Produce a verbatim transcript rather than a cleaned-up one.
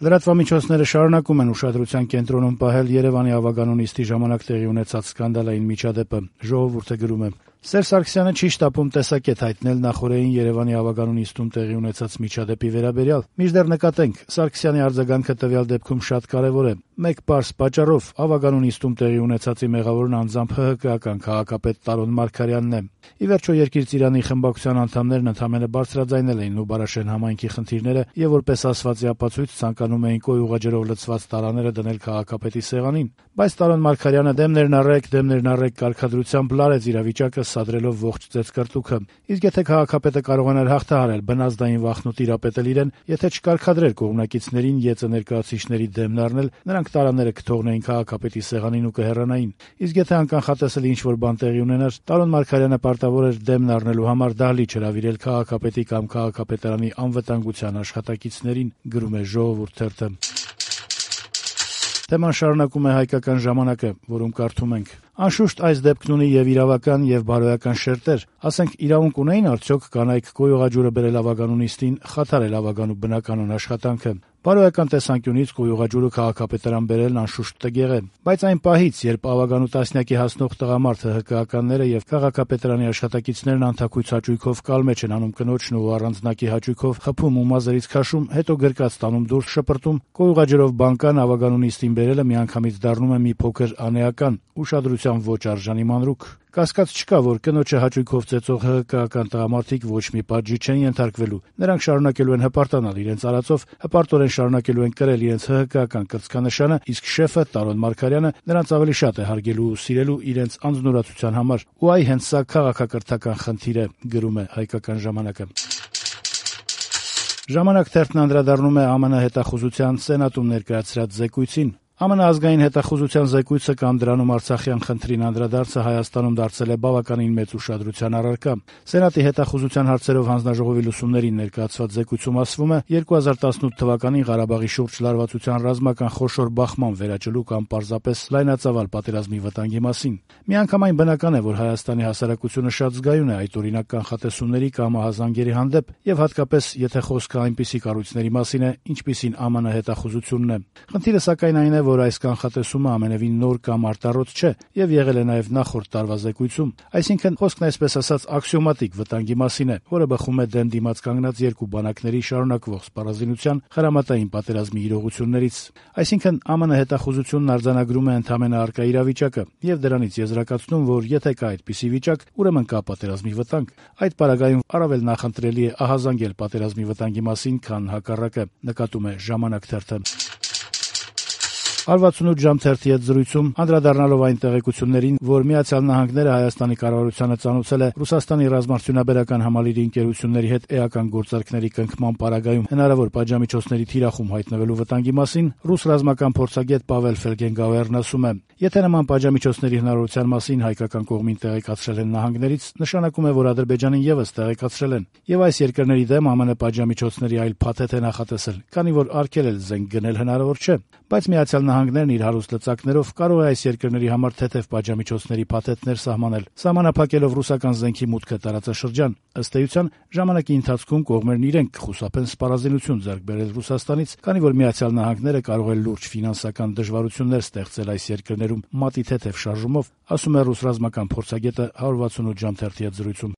Լրատվամիջոցները շարունակում են ուշադրության կենտրոնում պահել Երևանի ավագանու նիստի ժամանակ տեղի ունեցած սկանդալային միջադեպը։ Ժողովուրդը գրում է. Սերժ Սարգսյանը չի շտապում տեսակետ հայտնել նախօրեին Երևանի ավագանու նիստում տեղի ունեցած միջադեպի վերաբերյալ։ Մինչդեռ նկատենք, Սարգսյանի արձագանքը տվյալ դեպքում շատ կարևոր է։ Մեկ պարզ պատճառով ավագանու նիստում տեղի ունեցածի մեղավորն անձամբ ՀՀԿ-ական քաղաքապետ Տարոն Մարգարյանն է։ Ի վերջո Երկիր ծիրանի խմբակցության անդամներն ընդամենը բարձրաձայնել էին Նուբարաշեն համայնքի խնդիրները եւ որպես ասվածի ապացույց ցանկանում էին կոյուղաջրով լցված տարաները դնել քաղաքապետի սեղանին։ Բայց Տարոն Մարգարյանը դեմներն առեք, դեմներն առեք կարգադրությամբ լարեց իրավիճակը, սադրելով ողջ ծեծկրտուքը։ Իսկ եթե քաղաքապետը կարողանար հաղթահարել բնազդային վախն ու տիրապետել իրեն, եթե չկարգադրեր կողմնակիցներին ԵԾ ներկայացուցիչների դեմն առնել, նրանք տարաները կթողնեին քաղաքապետի սեղանին ու կհեռանային։ Իսկ եթե անկանխատեսելի ինչ-որ բան տեղի ունենար, Տարոն Մարգարյանը պարտավոր էր դեմն առնելու համար դահլիճ հրավիրել քաղաքապետի կամ քաղաքապետարանի անվտանգության աշխատակիցներին, գրում է Ժողովուրդ թերթը։ Թեման շարունակում է Հայկական ժամանակը, որում կարդում ենք. Անշուշտ այս դեպքն ունի եւ իրավական եւ բարոյական շերտեր։ Ասենք իրավունք ունեին արդյոք կանայք կոյուղաջուրը բերել ավագանու նիստին, խաթարել ավագանու բնականոն աշխատանքը։ Բարոյական տեսանկյունից կոյուղաջուրը քաղաքապետարան բերելն անշուշտ տգեղ է, բայց այն պահից, երբ ավագանու տասնյակի հասնող տղամարդ ՀՀԿ-ականները եւ քաղաքապետարանի աշխատակիցներն անթակույց հաճույքով կալմեջ են անում կնոջն ու առանձնակի հաճույքով խփում ու մազերից քաշում, հետո գրկած տանում դուրս շպրտում, կոյուղաջրով բանկան ավագանու նիստին բերելը միանգամից դառնում է մի փոքր անեական, ուշադրության ոչ արժանի մանրուք։ Կասկած չկա, որ կնոջը հաճույքով ծեծող ՀՀԿ-ական տղամարդիկ ոչ մի պատժի չեն ենթարկվելու։ Նրանք շարունակելու են հպարտանալ իրենց արածով, հպարտորեն շարունակելու են կրել իրենց ՀՀԿ-ական կրծքանշանը, իսկ շեֆը Տարոն Մարգարյանը նրանց ավելի շատ է հարգելու ու սիրելու իրենց անձնուրացության համար։ Ու այ հենց սա քաղաքակրթական խնդիր է, գրում է Հայկական ժամանակը։ Ժամանակ թերթն անդրադառնում է ԱՄՆ հետախուզության սենատում ներկայացրած զեկույցին։ ԱՄՆ ազգային հետախուզության զեկույցը կամ դրանում Արցախյան խնդրին անդրադարձը Հայաստանում դարձել է բավականին մեծ ուշադրության առարկա։ Սենատի հետախուզության հարցերով հանձնաժողովի լուսումներին ներկայացված զեկույցում ասվում է երկու հազար տասնութ թվականին Ղարաբաղի շուրջ լարվածության ռազմական խոշոր բախման վերաճլու կամ պարզապես լայնածավալ պատերազմի վտանգի մասին։ Միանգամայն բնական է, որ Հայաստանի հասարակությունը շատ զգայուն է այդ օրինակ կանխատեսումների կամ ահազանգերի հանդեպ եւ հատկապես եթե խոսքը այնպիսի կառույցների մասին է, ինչպիսին ԱՄՆ հետախուզությունն է։ Խնդիրը սակայն այն է, որ այս կանխատեսումը ամենևին նոր կամ արտառոց չէ եւ եղել է նաեւ նախորդ տարվա զեկույցում, այսինքն խոսքն այսպես ասած աքսիոմատիկ վտանգի մասին է, որը բխում է դեմ դիմաց կանգնած երկու բանակների շարունակվող սպառազինության խրամատային պատերազմի իրողություններից։ Այսինքն ԱՄՆ հետախուզությունն արձանագրում է ընդհանրապես առկա իրավիճակը եւ դրանից եզրակացնում, որ եթե կա այդպիսի վիճակ, ուրեմն կա պատերազմի վտանգ։ Այդ պարագայում առավել նախընտրելի է ահազանգել պատերազմի վտանգի մասին, քան հակառակը, նկատում է Ժամանակ թերթը։ հարվածունութ ժամ թերթի հետ զրույցում անդրադառնալով այն տեղեկություններին, որ Միացյալ Նահանգները Հայաստանի կառավարությանը ծանոթացել է Ռուսաստանի ռազմարդյունաբերական համալիրի ընկերությունների հետ էական գործարքների կնքման պարագայում հնարավոր պատժամիջոցների թիրախում հայտնվելու վտանգի մասին, ռուս ռազմական փորձագետ Պավել Ֆելգենգաուերն ասում է. Եթե նման պատժամիջոցների հնարավորության մասին հայկական կողմին տեղեկացրել են նահանգներից, նշանակում է, որ Ադրբեջանին եւս տեղեկացրել են, եւ այս երկրների դեմ ԱՄՆ պատժամիջոցների այլ փաթեթ է նախատեսել, քանի որ արգելել զենք գնել հնարավոր չէ, բայց Միացյալ Նահանգներն իր հարուստ լծակներով կարող է այս երկրների համար թեթև պատժամիջոցների փաթեթներ սահմանել, սահմանափակելով ռուսական զենքի մուտքը տարածաշրջան։ Ըստ էության, ժամանակի ընթացքում կողմերն իրենք կխուսափեն սպառազինություն ձեռք բերել Ռուսաստանից, քանի որ Միացյալ Նահանգները կարող է լուրջ ֆինանսական դժվարություններ ստեղծել այս երկրներում մատի թեթև շարժումով, ասում է ռուս ռազմական փորձագետը հարյուր վաթսունութ ժամ թերթի հետ զրույցում։